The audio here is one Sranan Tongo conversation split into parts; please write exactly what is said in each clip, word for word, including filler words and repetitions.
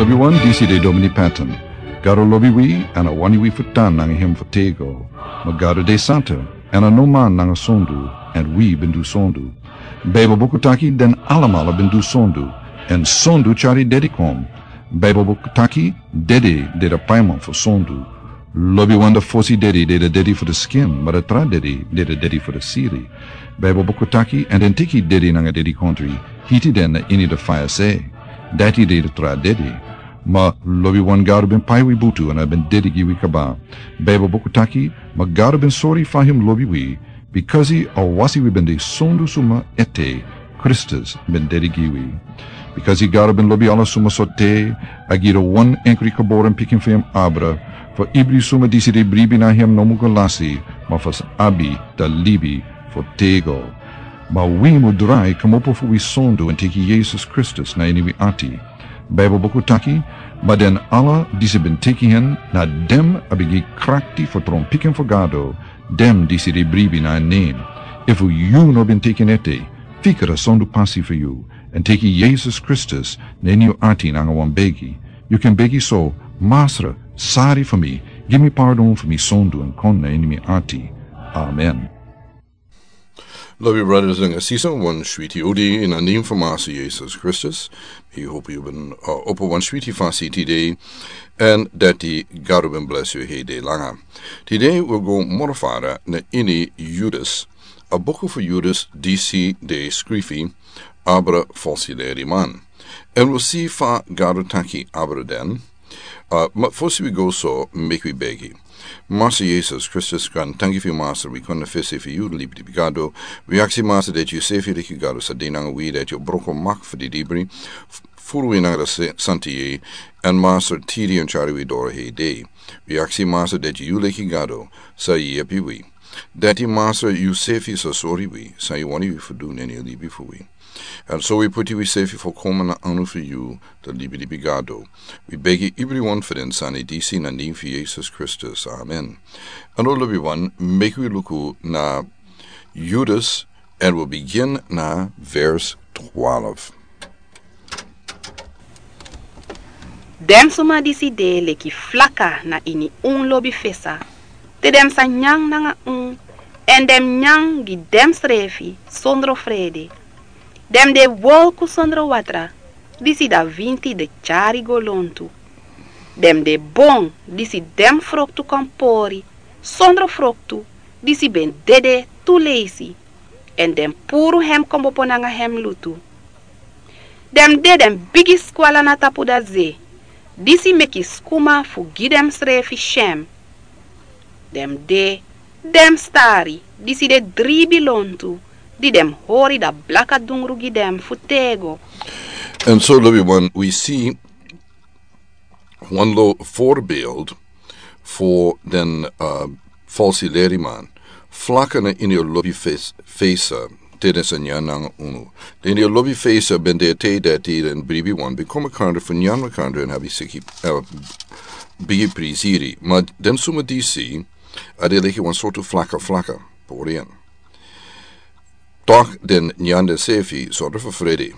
Lobiwan, disi de Domini Patton. Gado lobi wi, èn a wani wi fu tan nanga hem fu tego. Ma Gado de santa, èn a no man nanga sondu, èn wi ben du sondu. Baibel buku taki den alamala ben du sondu, èn sondu tyari dedi kon. Baibel buku taki dede de a paiman fu sondu. Lobiwan, a fosi dedi de a dedi fu a skin, ma a tra dedi de a dedi fu a siri. Baibel buku taki, èn den teki dedi nanga dedikontri, hiti den na ini a faya se. Dati de a tra dedi. Ma lobiwan, Gado ben pai wi butu èn a ben dedi gi wi kaba. Baibel buku taki, ma Gado ben sori fa hem lobi wi, bikasi a wasi wi ben de sondu suma ete, Kristus ben dedi gi wi. Bikasi Gado ben lobi ala suma sortu, a gi a wan enkri geboren pikin fu hem abra, fu ibri suma disi de bribi na hem no mu go lasi, ma fu sa abi a libi fu tego. Ma wi mu drai kmopo fu wi sondu èn teki Yesus Kristus na ini wi ati. Baibel buku taki, ma den ala disi ben teki hen, na den a ben gi krakti fu tron pikin fu Gado, den disi de bribi na en nen. Efu yu no ben teki en ete, fika a sondu pasi fu yu, èn teki Yesus Kristus na ini yu ati nanga wan begi. Yu kan begi so: Masra, sori fu mi, gi mi pardon fu mi sondu èn kon na ini mi ati. Amen. Lobi brothers and sisters, wan switi odi na nen fu Masra Yesus Kristus. Mi hopi yu ben, uh, opo wan switi fasi tide, èn dati Gado ben bless yu heri dei langa. Tide wi go moro fara na ini Yudus, a buku fu Yudus disi de skrifi abra falsi leriman. Èn wi si fa Gado taki abra den. Uh, ma fosi wi go so, meki wi begi. Masra Yesus Kristus, gran tanki fu yu Masra, wi kon na fesi fu yu, libi di Gado. Wi aksi Masra dati yu sefi leki Gado sa de nanga wi, dati yu broko mak fu di libri, f-, furu wi nanga a se-, santa yeye, èn Masra tiri èn tyari wi doro heri dei. Wi aksi Masra dati yu leki Gado sa yepi wi. Dati Masra yu sefi sa sori wi, san yu wani wi fu du na ini a libi fu wi. Èn so wi puti wi sefi fu kon na anu fu yu, a libi libi Gado. Wi begi ibri wan fu den sani disi na nen fu Yesus Kristus. Amen. Èn lobiwan, meki wi luku na Yudus, èn wi bigin na vers twaalf. Den suma disi de leki flaka na ini un lobi fesa, te den sa nyan nanga un, èn den nyan gi densrefi sondro frede. Den de wolku sondro watra, disi a winti de tyari go lontu. Den de bon, disi den froktu kan pori sondro froktu, disi ben dede tu leisi, èn den puru hem kmopo nanga hem lutu. Den de den bigi skwala na tapu a ze, disi meki skuma fu gi densrefi syen. Den de den stari, disi de dribi lontu, di den hori a blaka dungru gi den fu tego. Èn so lobiwan, wi si wan lo voorbeeld fu den, uh, falsi leriman. Flaka na ini a lobi fes-, fesa, te den sa nyan nanga unu. Den ini a lobi fesa ben de te dati den bribiwan ben kon makandra fu nyan makandra èn abi siki, uh, bigi priziri. Ma den suma disi, a de leki wan sortu flaka flaka, pori en. Toch den nyan densefi sondro fu frede.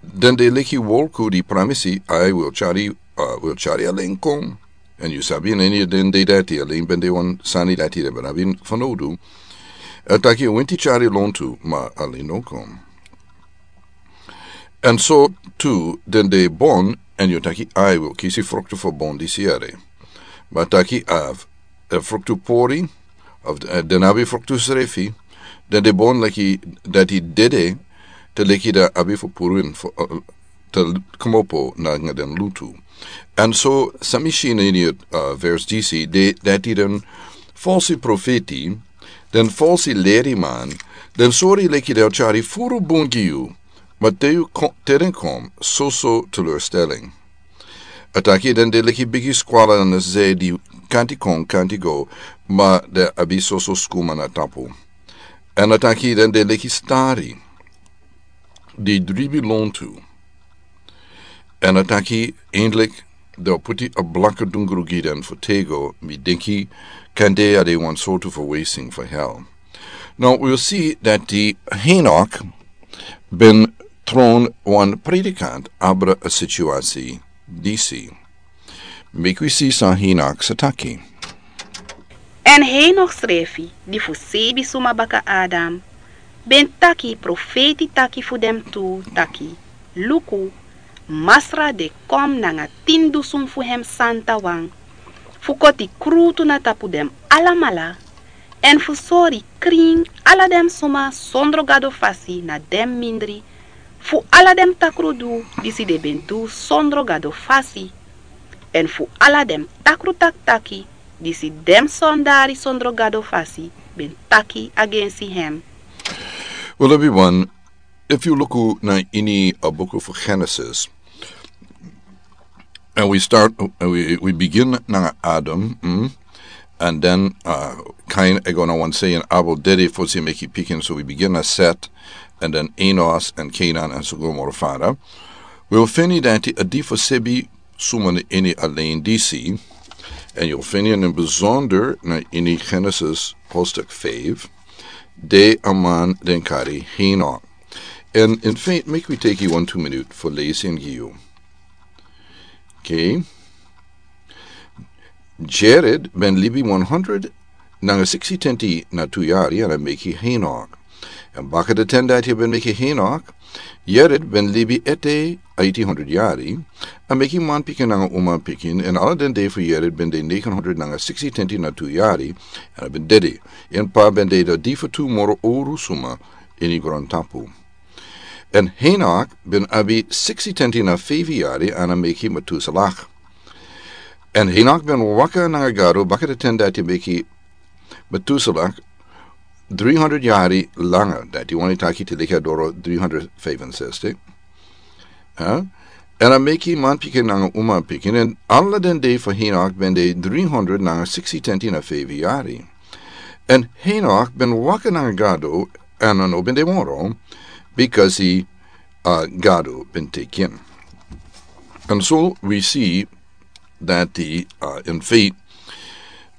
Den de leki wolku di pramisi, a wil tyari, a wil tyari alen kon. Èn yu sabi, na ini den dei dati, alen ben de wan sani dati den ben abi fanowdu. A taki winti tyari lontu, ma alen no kon. Èn so tu den de bon, èn yu taki a wil kisi froktu fu bon disi yere. Ma taki a, a froktu pori, of, eh, den abi froktu srefi, den de bon leki dati dede, te leki den abi fu puru en fu, eh, te kmopo nanga den lutu. Èn so san mi si na ini, eh, vers disi, de, dati den falsi profeti, den falsi leriman, den sori leki den tyari furu bun gi yu, ma te yu ko-, te den kon, soso teleurstelling. A taki den de leki bigi skwala na ze di kanti kon, kanti go, ma den abi soso skuma na tapu. Èn a taki den de leki stari di dribi lontu. Èn a taki eindelijk den o puti a blaka dungru gi den fu tego, mi denki kande a de wan sortu fu wasting fu hel. Now, we'll see that di Henok ben tron wan predikant abra a situasi disi. Meki wi si san Henok sa taki. Èn Henok srefi, di fu sebi suma baka Adam, ben taki profeti taki fu den tu taki: Luku, Masra de kon nanga tin dusun fu hem santawan, fu koti krutu na tapu den alamala, èn fu sori krin ala den suma sondro Gado fasi na den mindri fu ala den takrudu disi den ben du sondro Gado fasi, èn fu ala den takru taktaki disi den sondari sondro Gado fasi ben taki agensi hem. Wel, everyone, if you look na ini a buku fu Genesis, and we start, uh, we, we begin nanga Adam, mm, and then, uh, Cain e go na wan sei, èn Abel dede fosi meki pikin, so we begin na Set, and then Enos and Canaan and so go moro fara. We will fini dati a di fu sebi suma na ini a len disi, and you'll fini in bijzonder na ini Genesis hoofdstuk vijf, de a man den kari Henok. And in fact, make we take you one, two minute for lazy and you. Okay. Jared ben libi one hundred nanga sixty tenti na tu yari, èn a meki Henok. Èn baka de ten dati a ben meki Henok, Jared ben libi ete eighty hundred yari, a meki man pikin nanga uma pikin, èn ala den dei fu Jared ben de negen hundred nanga sixty tenti na tu yari, èn a ben dede. Èn pa ben de a di fu tu moro oru suma ini grontapu. Èn Henok ben abi sixty tenti na feifi yari, èn a meki Metuselah. Èn Henok ben waka nanga Gado baka de ten dati a meki Metuselah three hundred yari langa, dati wani taki te leki a doro three hundred vijfenzestig. Huh? Èn a meki man pikin nanga uma pikin, èn ala den dei fu Henok ben de three hundred nanga sixty tenti na feifi yari. Èn Henok ben waka nanga Gado, èn a no ben de moro, because he, uh, Gado ben teki en. And so we see that the, uh, in fact,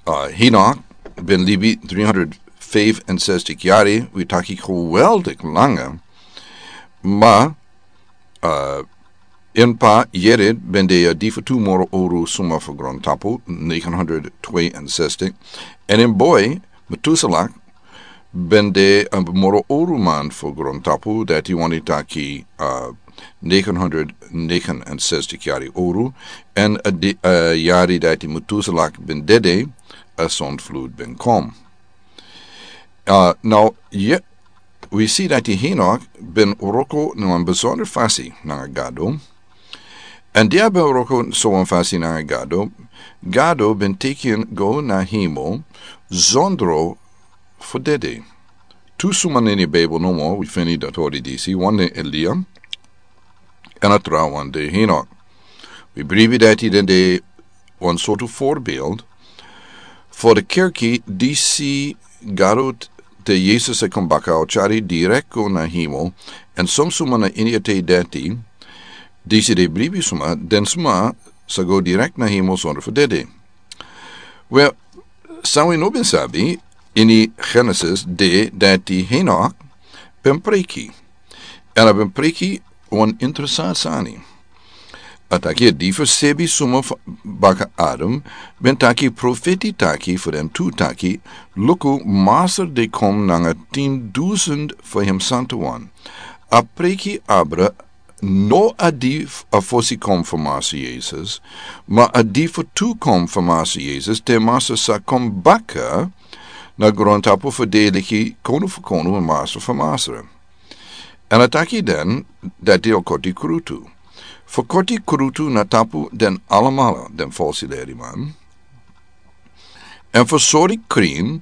uh, Henok ben libi three hundred vijfenzestig yari, we taki geweldig langa, ma, uh, en pa Jared ben de a di fu tu moro oru suma fu grontapu, negen hundred tweeënzestig. Èn en boy, Metuselah, ben de a moro oru man fu grontapu, dati wani taki, uh, negen hundred negenenzestig yari oru, èn a di, uh, yari dati Metuselah ben dede, a zondvloed ben kom. Uh, now, ye, we see dati Henok ben wroko na wan bijzonder fasi nanga Gado. Èn di a ben wroko so wan fasi nanga Gado, Gado ben teki en go na hemel zonder fu dede. Tu suma na ini Bijbel nomo, we fini dati ori disi, wan de Elia, èn a trawan de Henok. We bribi dati den de wan sortu voorbeeld fu de kerki disi Gado te Yesus e kon baka o tyari direkt go na hemel, èn son suma na ini a tei dati, disi de bribi suma, den suma sa go direkt na hemel zonder fu dede. Wel, san wi no ben sabi, ini Genesis de dati Henok ben preki. Èn a ben preki wan interesant sani. A taki a di fu sebi suma fu baka Adam ben taki profeti taki fu den tu taki: Luku, Masra de kon nanga tin dusun fu hem santawan. A preki abra no a di f-, a fosi kom fu Masra Yesus, ma a di fu tu kom fu Masra Yesus, te Masra sa kom baka na grontapu fu de leki Konu fu konu èn Masra fu masra. Èn a taki den dati a o koti krutu. Fu koti krutu na tapu den alamala, den falsi leriman. Èn fu sori krin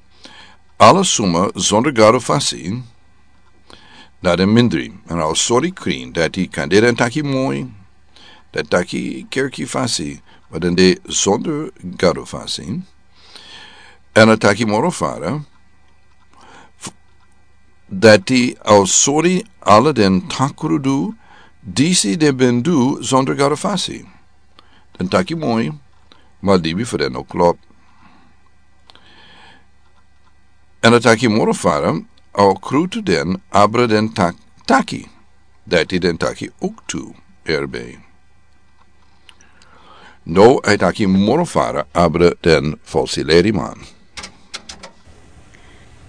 ala suma zonder Gado fasi na den mindri. Èn a o sori krin dati kande den taki moi, den taki kerki fasi, ma den de zonder Gado fasi. Èn a taki moro fara, f-, dati a o sori ala den takrudu disi den ben du zonder Gado fasi. Den taki moi, ma libi fu den no klop. Èn a taki moro fara, a o krutu den abra den tak-, taki, dati den taki ook tu erbi. Now a e taki moro fara abra den falsi leriman.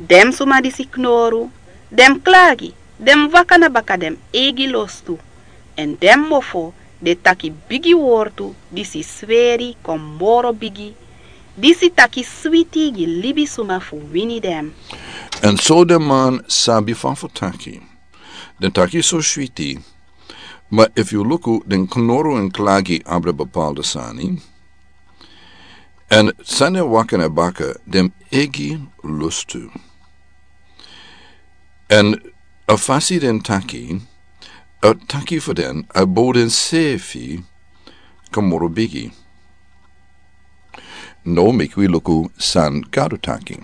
Den suma disi knoru, den klagi, den waka na baka den eigi lostu, èn den mofo de taki bigi wortu disi sweri kon moro bigi, disi taki switi gi libisuma fu wini den. Èn so den man sabi fa fu taki. Den taki so switi, ma efu yu luku den knoru èn klagi abra bepaalde sani. Èn san den waka na baka den eigi lostu. Èn a fasi den taki, a taki fu den a bow den sefi kon moro bigi. Now meki wi luku san Gado taki.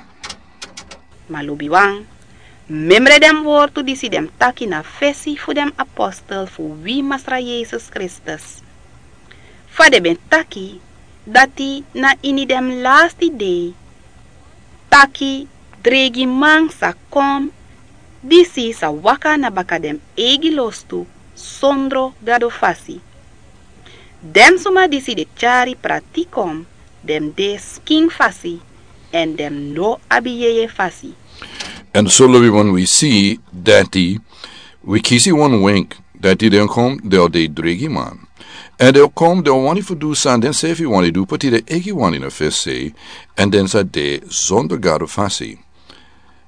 Ma lobiwan, memre den wortu disi den taki na fesi fu den apostel fu wi Masra Yesus Kristus. Fa den ben taki dati na ini den lasti dei taki dreigiman sa kon, disi sa waka na baka den eigi lostu sondro Gado fasi. Den suma disi de tyari prati kon, den de skin fasi, èn den no abi yeye fasi. Èn so lobiwan wi si dati wi kisi wan wenk dati den kon den o de dreigiman. Èn den o kon den o wani fu du san den sefi wani du poti den eigi wani na fesi, èn den sa de sondro Gado fasi.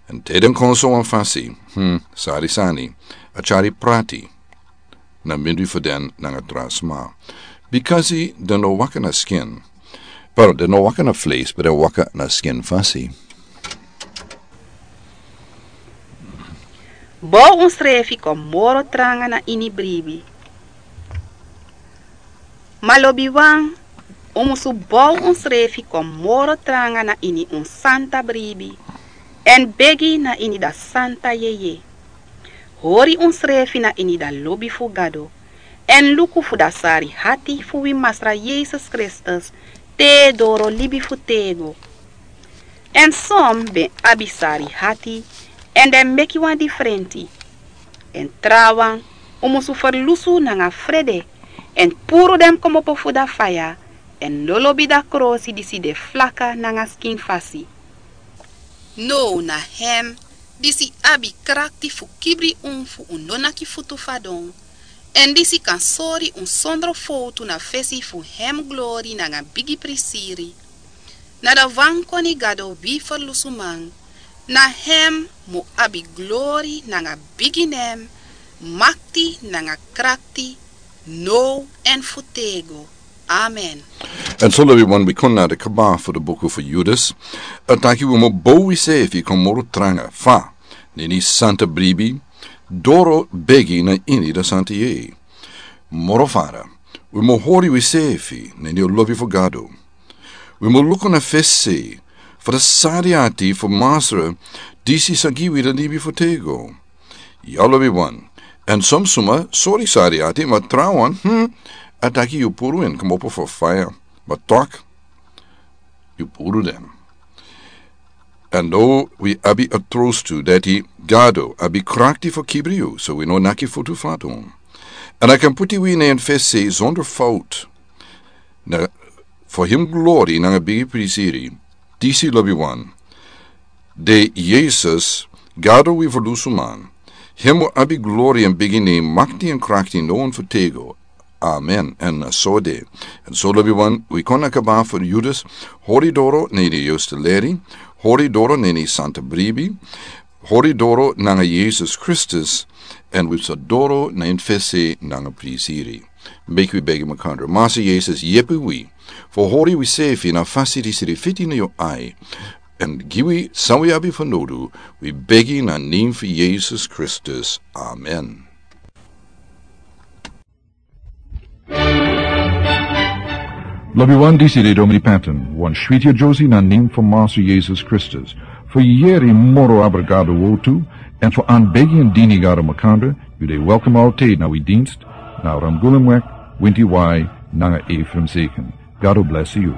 Èn te den kon so wan fasi, hmm, sari sani, a tyari prati na mindri fu den nanga tra sma. Bikasi den no waka na skin. Pero den no waka na fleis, pero den waka na skin fasi. Bow unsrefi kon moro tranga na ini bribi. Ma lobiwan, un musu bow unsrefi kon moro tranga na ini un santa bribi, èn begi na ini da santa yeye. Hori unsrefi na ini da lobi fu Gado, èn luku fu da sari hati fu wi Masra Yesus Kristus te doro libi fu tego. Èn son ben abi sari hati, èn den meki wan difrenti. Èn trawan, un musu ferlusu nanga frede, èn puru den komopo fu da faya, èn lolobi da krosi disi de flaka nanga skin fasi. Now na hem disi abi krakti fu kibri un fu un no naki futu fadon, èn disi kan sori un sondro fowtu na fesi fu hem glori nanga bigi prisiri. Na da wan koni Gado wi ferlusuman, na hem mu abi glori nanga bigi nen, makti nanga krakti, now èn fu tego. Amen. Èn so lobiwan wi kon na de kaba fu de buku fu Judas. A taki wi mu bow wi sefi kon moro tranga fa na ini santa bribi, doro begi na ini da santa yeye. Moro fara, wi mu hori wi sefi na ini lobi fu Gado. Wi mu luku na fesi fu da sari ati fu Masra disi sa gi wi da libi fu tego. Ya lobiwan, èn son suma sori sari ati, ma trawan, hmm, a taki yu puru en komopo fu faya, ma tok yu puru den. Èn now wi abi a trostu dati Gado abi krakti fu kibri yu, so wi no naki futu fadon. Èn a kan puti wi na en fesi sondro fout. Na fu hem glori nanga bigi prisiri. Disi lobiwan, de Yesus, Gado wi ferlusuman. Hem mu abi glori èn bigi nen, makti èn krakti now èn fu tego. Amen. Èn so de. Èn so lobiwan, wi kon na kaba fu Judas, hori doro na ini yuste leri, hori doro na ini santa bribi, hori doro nanga Yesus Kristus, èn wi sa doro na en fesi nanga prisiri. Meki wi begi makandra. Masra Yesus, yepi wi fu hori wi sefi na fasi disi de fiti na yu ai. Èn gi wi san wi abi fanodu, wi begi na nen fu Yesus Kristus. Amen. Lobiwan, disi de Domini Patton, wan switi a Josie na nen fu Masra Yesus Kristus. Fu yeri moro abra Gado wortu, èn fu anbegi èn dini Gado makandra, yu de welkom altijd na wi dienst, na Ramgulumweg, winti wai, nanga Ephraim Zeken. Gado bless yu.